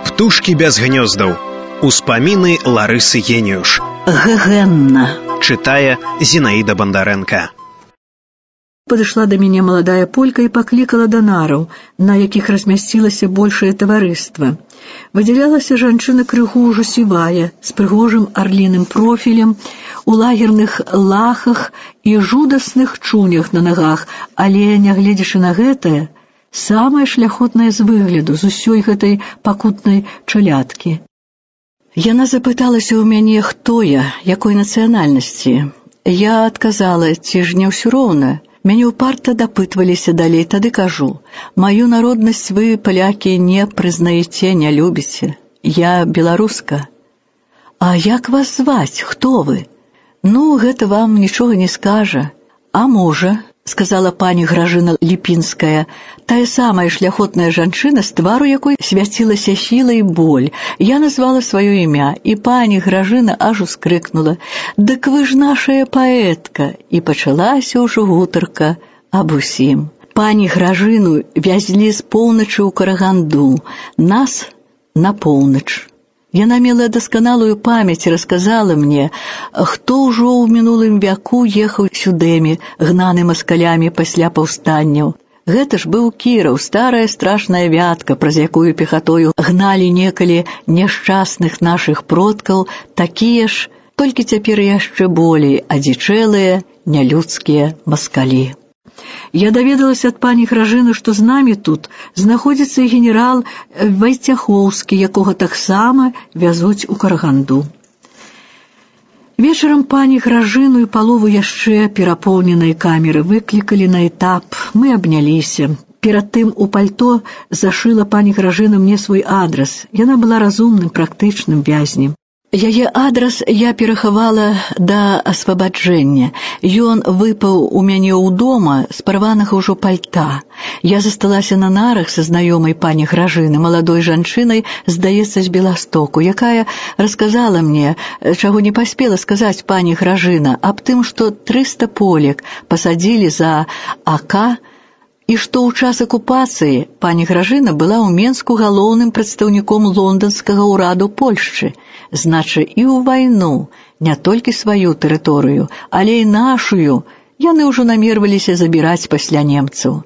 Птушкі без гнёздаў. Успаміны Ларысы Геніюш. Гэгэнна. Чытае Зінаіда Бандарэнка. Падышла да мяне маладая полька і паклікала да нараў, на якіх размясцілася большае таварыства. Выдзялялася жанчына крыху ўжо сівая, з прыгожым арліным профілем, у лагерных лахах і жудасных чунях на нагах, але, нягледзячы на гэтае, самае шляхотнае з выгляду, з усёй гэтай пакутнай чалядкі. Яна запыталася ў мяне, хто я, якой нацыянальнасці. Я адказала, ці ж не ўсё роўна. Мяне ўпарта дапытваліся далей, тады кажу, маю народнасць вы, палякі, не прызнаеце, не любіце. Я беларуска. А як вас зваць? Хто вы? Ну, гэта вам нічога не скажа. А можа, сказала пані Гражына Ліпінская, тая самая шляхотная жанчына, з твару якой свяцілася сіла і боль. Я назвала сваё імя, і пані Гражына аж ускрыкнула: «Дык вы ж нашая паэтка!» І пачалася ўжо гутарка аб усім. Пані Гражыну вязлі з поўначы ў Караганду, нас на поўнач. Яна мела дасканалую памяць і расказала мне, хто ўжо ў мінулым вяку ехаў сюдэмі, гнаны маскалямі пасля паўстанняў. Гэта ж быў Кіраў, старая страшная вятка, праз якую пехатою гналі некалі няшчасных нашых продкаў, такія ж, толькі цяпер яшчэ болей адзічэлыя, нялюдскія маскалі. Я даведалася ад пані Гражыны, што з намі тут знаходзіцца і генерал Вайцяхоўскі, якога таксама вязуць у Караганду. Вечарам пані Гражыну і палову яшчэ перапоўненай камеры выклікалі на этап. Мы абняліся. Перад тым у пальто зашыла пані Гражына мне свой адрас. Яна была разумным, практычным вязнем. Яе адрас я перахавала да асвабаджэння. Ён выпаў у мяне ў дома з парванага ўжо пальта. Я засталася на нарах са знаёмай пані Гражыны, маладой жанчынай, здаецца, з Беластоку, якая расказала мне, чаго не паспела сказаць пані Гражына, аб тым, што 300 полек пасадзілі за АК, і што ў час акупацыі пані Гражына была ў Менску галоўным прадстаўніком лонданскага ўраду Польшчы. Значы, і ў вайну не толькі сваю тэрыторыю, але і нашую яны ўжо намерваліся забіраць пасля немцаў.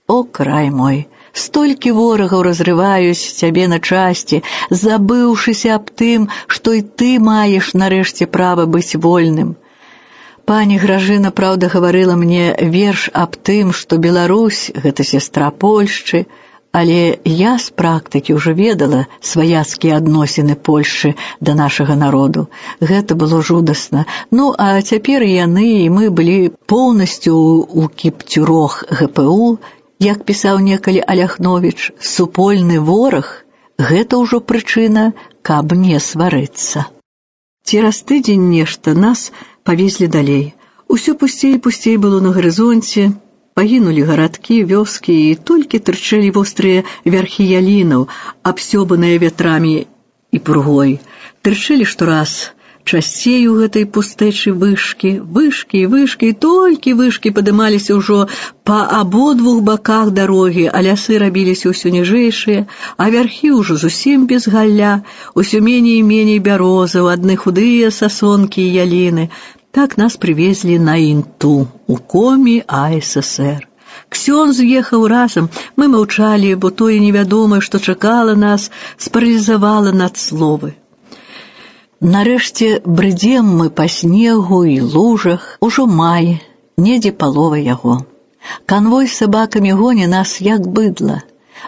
О, край мой! Столькі ворагаў разрываюць цябе на часці, забыўшыся аб тым, што і ты маеш нарэшце права быць вольным. Пані Гражына, праўда, гаварыла мне верш аб тым, што Беларусь — гэта сястра Польшчы, але я з практыкі ўжо ведала сваяцкія адносіны Польшчы да нашага народу. Гэта было жудасна. Ну, а цяпер яны і мы былі поўнасцю ў кіпцюрох ГПУ, як пісаў некалі Аляхновіч, супольны вораг — гэта ўжо прычына, каб не сварыцца. Цераз тыдзень нешта нас павезлі далей. Усё пусцей і пусцей было на гарызонце. Пагінулі гарадкі, вёскі, і толькі тырчэлі вострыя вярхі ялінаў, абсёбаныя вятрамі і пургой. Тырчэлі штораз часцей у гэтай пустэчы вышкі, вышкі і вышкі, і толькі вышкі падымаліся ўжо па абодвух баках дарогі, а лясы рабіліся ўсё ніжэйшыя, а вярхі ўжо зусім без галля, усё меней і меней бярозаў, адны худыя сасонкі і яліны. Так нас привезли на Інту, у комі АССР. Ксёндз ехаў разам, мы маўчалі, бо тое невядомае, што чакала нас, спаралізавала надсловы. Нарэшце брыдзем мы па снегу і лужах, ужо май, недзе палова яго. Канвой з сабакамі гоня нас, як быдла.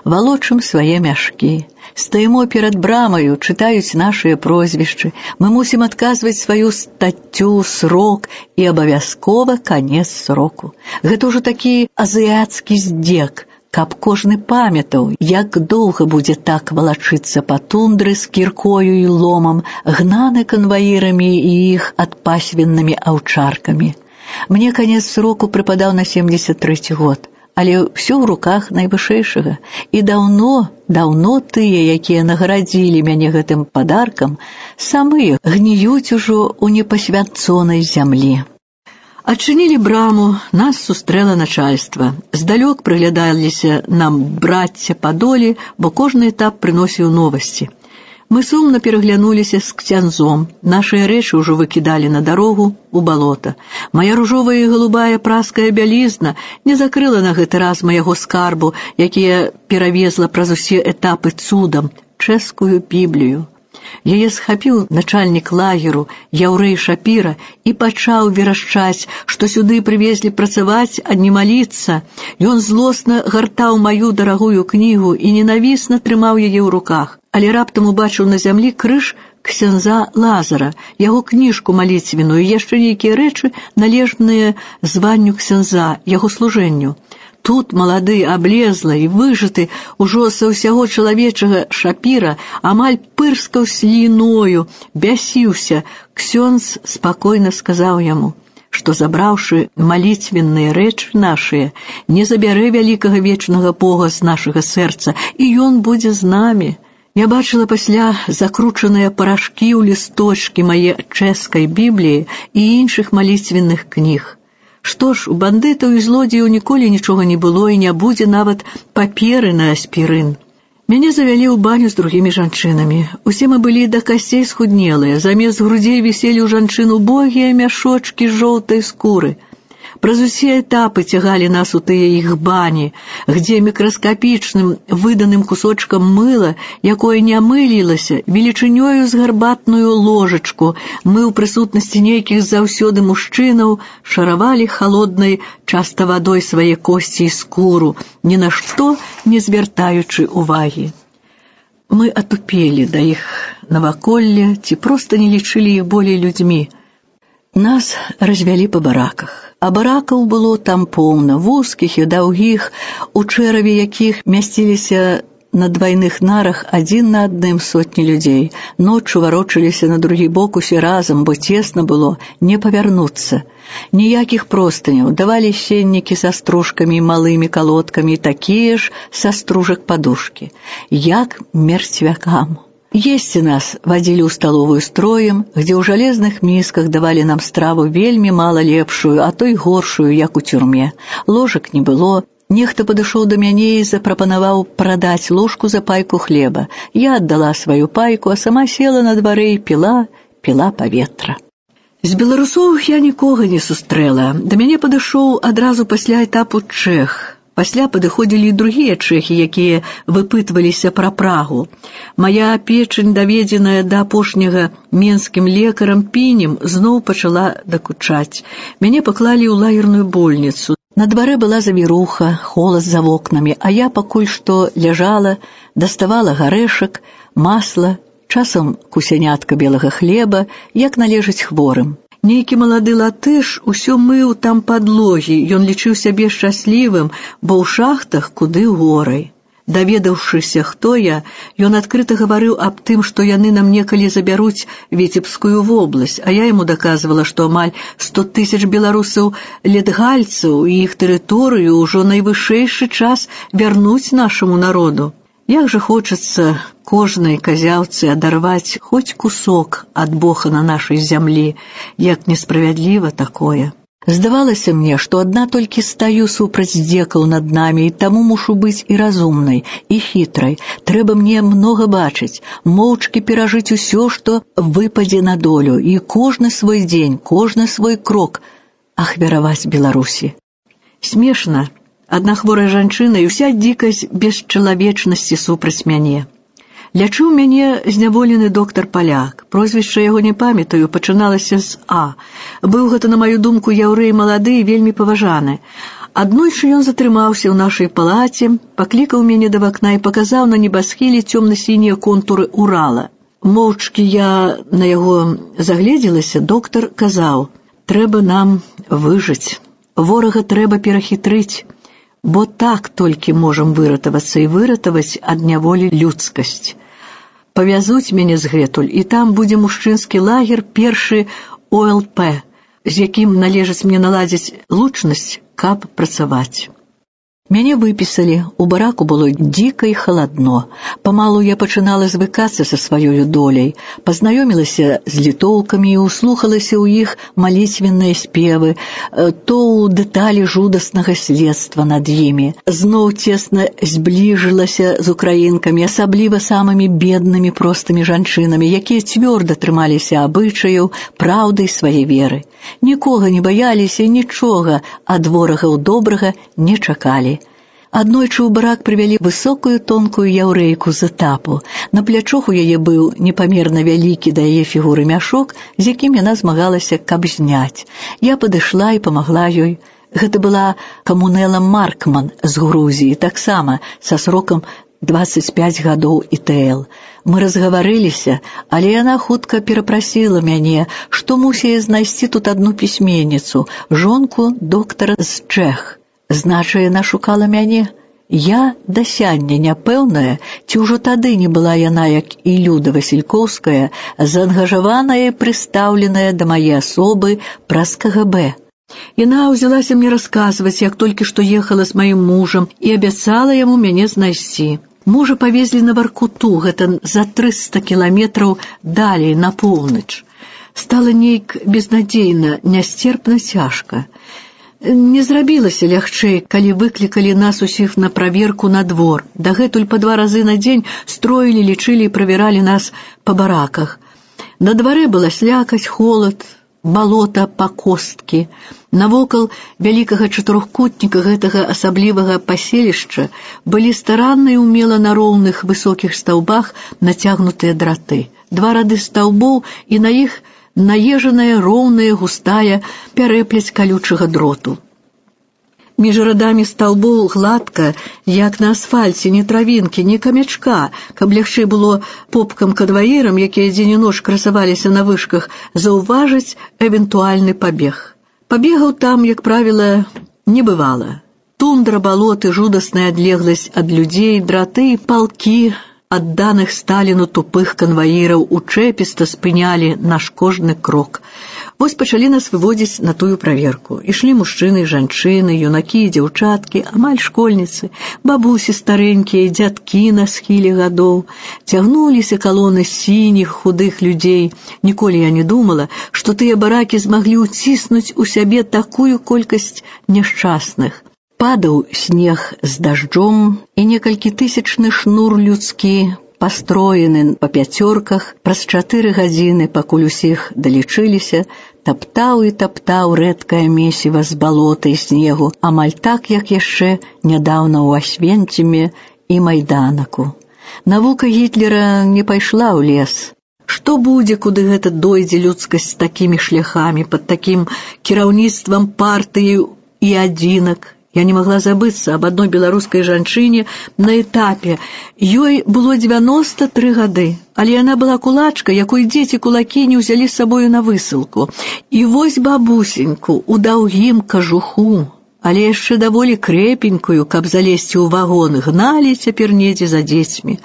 Валочым свае мяшкі. Стаємо перад брамаю, чытаюць нашыя прозвішчы. Мы мусім адказваць сваю стаццю, срок і абавязкова канец сроку. Гэта ўжо такі азіяцкі здзек, каб кожны памятаў, як доўга будзе так валачыцца па тундры з кіркою і ломам, гнаны канваірамі і іх адпасвеннымі аўчаркамі. Мне канец сроку прыпадаў на 73 год. Але ўсё ў руках найвышэйшага. І даўно тыя, якія нагарадзілі мяне гэтым падаркам, самыя гніюць ужо ў непасвянцонай зямлі. Адчынілі браму, нас сустрэла начальства. Здалёк прыглядаліся нам брацця па долі, бо кожны этап прыносіў новасці. Мы сумна пераглянуліся з ксяндзом. Нашыя рэчы ўжо выкідалі на дарогу у балота. Мая ружовая і голубая праская бялізна не закрыла на гэты раз майго скарбу, які я перавезла праз усе этапы цудам, чэшскую Біблію. Яе схапіў начальнік лагеру, яўрэй Шапіра, і пачаў верашчаць, што сюды прывезлі працаваць, а не маліцца. Ён злосна гартаў маю дарагую кнігу і ненавісна трымаў яе ў руках. Але раптам убачыў на зямлі крыж ксяндза Лазара, яго кніжку маліцвеную і яшчэ нейкія рэчы, належныя званню ксяндза, яго служэнню. Тут малады, аблезлы і выжаты ужо са ўсяго чалавечага Шапіра амаль пырскаў сліною, бясіўся. Ксёндз спакойна сказаў яму, што, забраўшы маліцвенныя рэчы нашыя, не забярэ вялікага вечнага Бога з нашага сэрца, і ён будзе з намі. Я бачыла пасля закручаныя парашкі ў лісточкі мае чэшскай Бібліі і іншых маліцвенных кніг. Што ж, у бандытаў і злодзеяў ніколі нічога не было і не будзе нават паперы на аспірын. Мяне завялі ў баню з другімі жанчынамі. Усе мы былі да касцей схуднелыя, замест грудзей віселі ў жанчын убогія мяшочкі з жоўтай скуры. Праз усе этапы цягалі нас у тыя іх бані, где мікраскапічным выданым кусочкам мыла, якое не мылілася, велічынёю з гарбатную ложачку, мы ў прысутнасці нейкіх заўсёды мужчынаў шаравалі халоднай часта вадой свае косці і скуру, ні на што не звяртаючы увагі. Мы атупелі да іх наваколля, ці проста не лічылі іх болей людзьмі. Нас развялі па бараках. А баракаў было там поўна, вузкіх і даўгіх, у чэраве якіх мясціліся на двайных нарах адзін на адным сотні людзей. Ноччу варочаліся на другі бок усе разам, бо цесна было не павярнуцца. Ніякіх простыняў, давалі сеннікі са стружкамі і малымі калодкамі, такія ж са стружак падушкі, як мерцвякам. Есці нас вадзілі ў сталовую строем, где ў жалезных місках давалі нам страву вельмі мала лепшую, а то і горшую, як у тюрме. Ложак не было. Нехта падышоў да мяне і запрапанаваў прадаць ложку за пайку хлеба. Я аддала сваю пайку, а сама села на дварэ і піла паветра. З беларусовых я нікога не сустрэла. Да мяне падышоў адразу пасля этапу чэх. Пасля падыходзілі і другія чэхі, якія выпытваліся пра Прагу. Мая печань, даведзеная да апошняга менскім лекарам пінем, зноў пачала дакучаць. Мяне паклалі ў лагерную больніцу. На дварэ была завіруха, холад за вокнамі, а я пакуль што ляжала, даставала гарэшак, масла, часам кусянятка белага хлеба, як належыць хворым. Нейкі малады латыш усё мыў там падлогі, ён лічыў сябе шчаслівым, бо ў шахтах куды горай. Даведаўшыся, хто я, ён адкрыта гаварыў аб тым, што яны нам некалі забяруць Віцебскую вобласць, а я яму даказвала, што амаль 100 000 беларусаў летгальцаў і іх тэрыторыю ўжо найвышэйшы час вярнуць нашаму народу. Як жа хочацца кожнай казяўцы адарваць хоць кусок ад Бога на нашай зямлі, як несправядліва такое. Здавалася мне, што адна толькі стаю супраць здзекаў над намі, і таму мушу быць і разумнай, і хітрай. Трэба мне многа бачыць, моўчкі перажыць усё, што выпадзе на долю, і кожны свой дзень, кожны свой крок ахвяраваць Беларусі. Смешна. Адна хворая жанчына і ўся дзікасць бесчалавечнасці супраць мяне. Лячыў мяне зняволены доктар-паляк. Прозвішча яго не памятаю, пачыналася з А. Быў гэта, на маю думку, яўрэй малады і вельмі паважаны. Аднойчы ён затрымаўся ў нашай палаце, паклікаў мяне да вакна і паказаў на небасхіле цёмна-сінія контуры Урала. Моўчкі я на яго загледзелася, доктар казаў: «Трэба нам выжыць, ворага трэба перахітрыць, бо так толькі можам выратавацца і выратаваць ад няволі людскасць. Павязуць мяне згэтуль, і там будзе мужчынскі лагер, першы ОЛП, з якім належыць мне наладзіць лучнасць, каб працаваць». Мяне выпісалі, у бараку было дзіка і халадно. Памалу я пачынала звыкацца са сваёю доляй, пазнаёмілася з літоўкамі і услухалася ў іх малітвенныя спевы, то ў дэталі жудаснага следства над імі. Зноў цесна збліжылася з украінкамі, асабліва самымі беднымі простымі жанчынамі, якія цвёрда трымаліся абычаяў, праўды свае веры. Нікога не баяліся і нічога ад ворагаў добрага не чакалі. Аднойчы ў барак прывялі высокую тонкую яўрэйку з этапу. На плячох у яе быў непамерна вялікі да яе фігуры мяшок, з якім яна змагалася, каб зняць. Я падышла і памагла ёй. Гэта была Камунела Маркман з Грузіі, таксама са срокам 25 гадоў ІТЛ. Мы разгаварыліся, але яна хутка перапрасіла мяне, што мусіла знайсці тут адну пісьменніцу, жонку доктара з Чэх. Знача, яна шукала мяне. Я да сяння няпэўная, ці ўжо тады не была яна, як і Люда Васількоўская, заангажаваная і прыстаўленая да мае асобы праз КГБ. Яна ўзялася мне расказваць, як толькі што ехала з маім мужам і абяцала яму мяне знайсці. Мужа павезлі на Варкуту, гэта за 300 кіламетраў далей, на поўнач. Стала нейк безнадзейна, нясцерпна цяжка. Не зрабілася лягчэй, калі выклікалі нас усіх на праверку на двор. Дагэтуль па 2 разы на дзень строілі, лічылі і правяралі нас па бараках. На дварэ была слякаць, холад, балота па косткі. Навокал вялікага чатырохкутніка гэтага асаблівага паселішча былі старанна і ўмела на роўных высокіх стаўбах нацягнутыя драты. 2 рады стаўбоў і на іх наезжаная, роўная, густая пярэплець калючага дроту. Між радамі стаўбоў гладка, як на асфальце, ні травінкі, ні камячка, каб лягчэй было попкам-кадваірам, якія дзень і ноч красаваліся на вышках, заўважыць эвентуальны пабег. Пабегаў там, як правіла, не бывала. Тундра, балоты, жудасная адлегласць ад людзей, драты і палкі адданых Сталіну тупых канваіраў учэпіста спынялі наш кожны крок. Вось пачалі нас выводзіць на тую праверку. Ішлі мужчыны, жанчыны, юнакі і дзяўчаткі, амаль школьніцы, бабусі старэнькія, дзядкі на схіле гадоў. Цягнуліся калоны сініх, худых людзей. Ніколі я не думала, што тыя баракі змаглі ўціснуць у сябе такую колькасць няшчасных. Падаў снег з дажджом, і некалькі тысячны шнур людскі, пастроены па пяцёрках, праз 4 гадзіны, пакуль усіх далічыліся, таптаў і таптаў рэдкае месіва з балота і снегу, амаль так, як яшчэ нядаўна ў Асвенціме і Майданаку. Навука Гітлера не пайшла ў лес. Што будзе, куды гэта дойдзе людскасць з такімі шляхамі, пад такім кіраўніцтвам партыі і адзінак? Я не магла забыцца аб адной беларускай жанчыне на этапе. Ёй было 93 гады, але яна была кулачка, якой дзеці кулакі не ўзялі з сабою на высылку. І вось бабусеньку у даўгім кажуху, але яшчэ даволі крэпенькую, каб залезці ў вагон, гналі цяпер недзе за дзецьмі.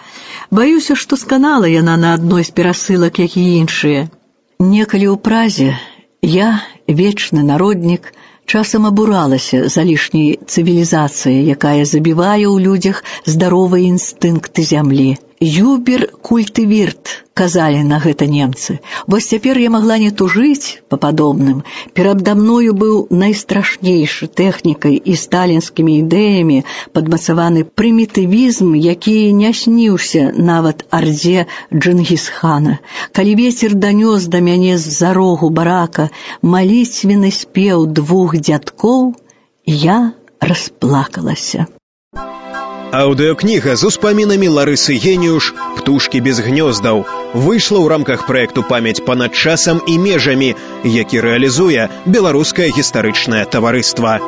Баюся, што сканала яна на адной з перасылак, як і іншыя. Некалі ў Празе я, вечны народнік, часам абуралася за лішняй цывілізацыяй, якая забівае ў людзях здаровыя інстынкты зямлі. «Юбер культывірт», казалі на гэта немцы. Вось цяпер я магла не тужыць па падобным. Перада мною быў найстрашнейшы тэхнікай і сталінскімі ідэямі падмацаваны прымітывізм, які не сніўся нават ардзе Джынгісхана. Калі вецер данёс да мяне з-за рогу барака малітвенны спеў 2 дзядкоў, я расплакалася. Аўдыёкніга з успамінамі Ларысы Геніуш «Птушкі без гнёздаў» выйшла ў рамках праекту «Памяць панад часам і межамі», які рэалізуе Беларускае гістарычнае таварыства.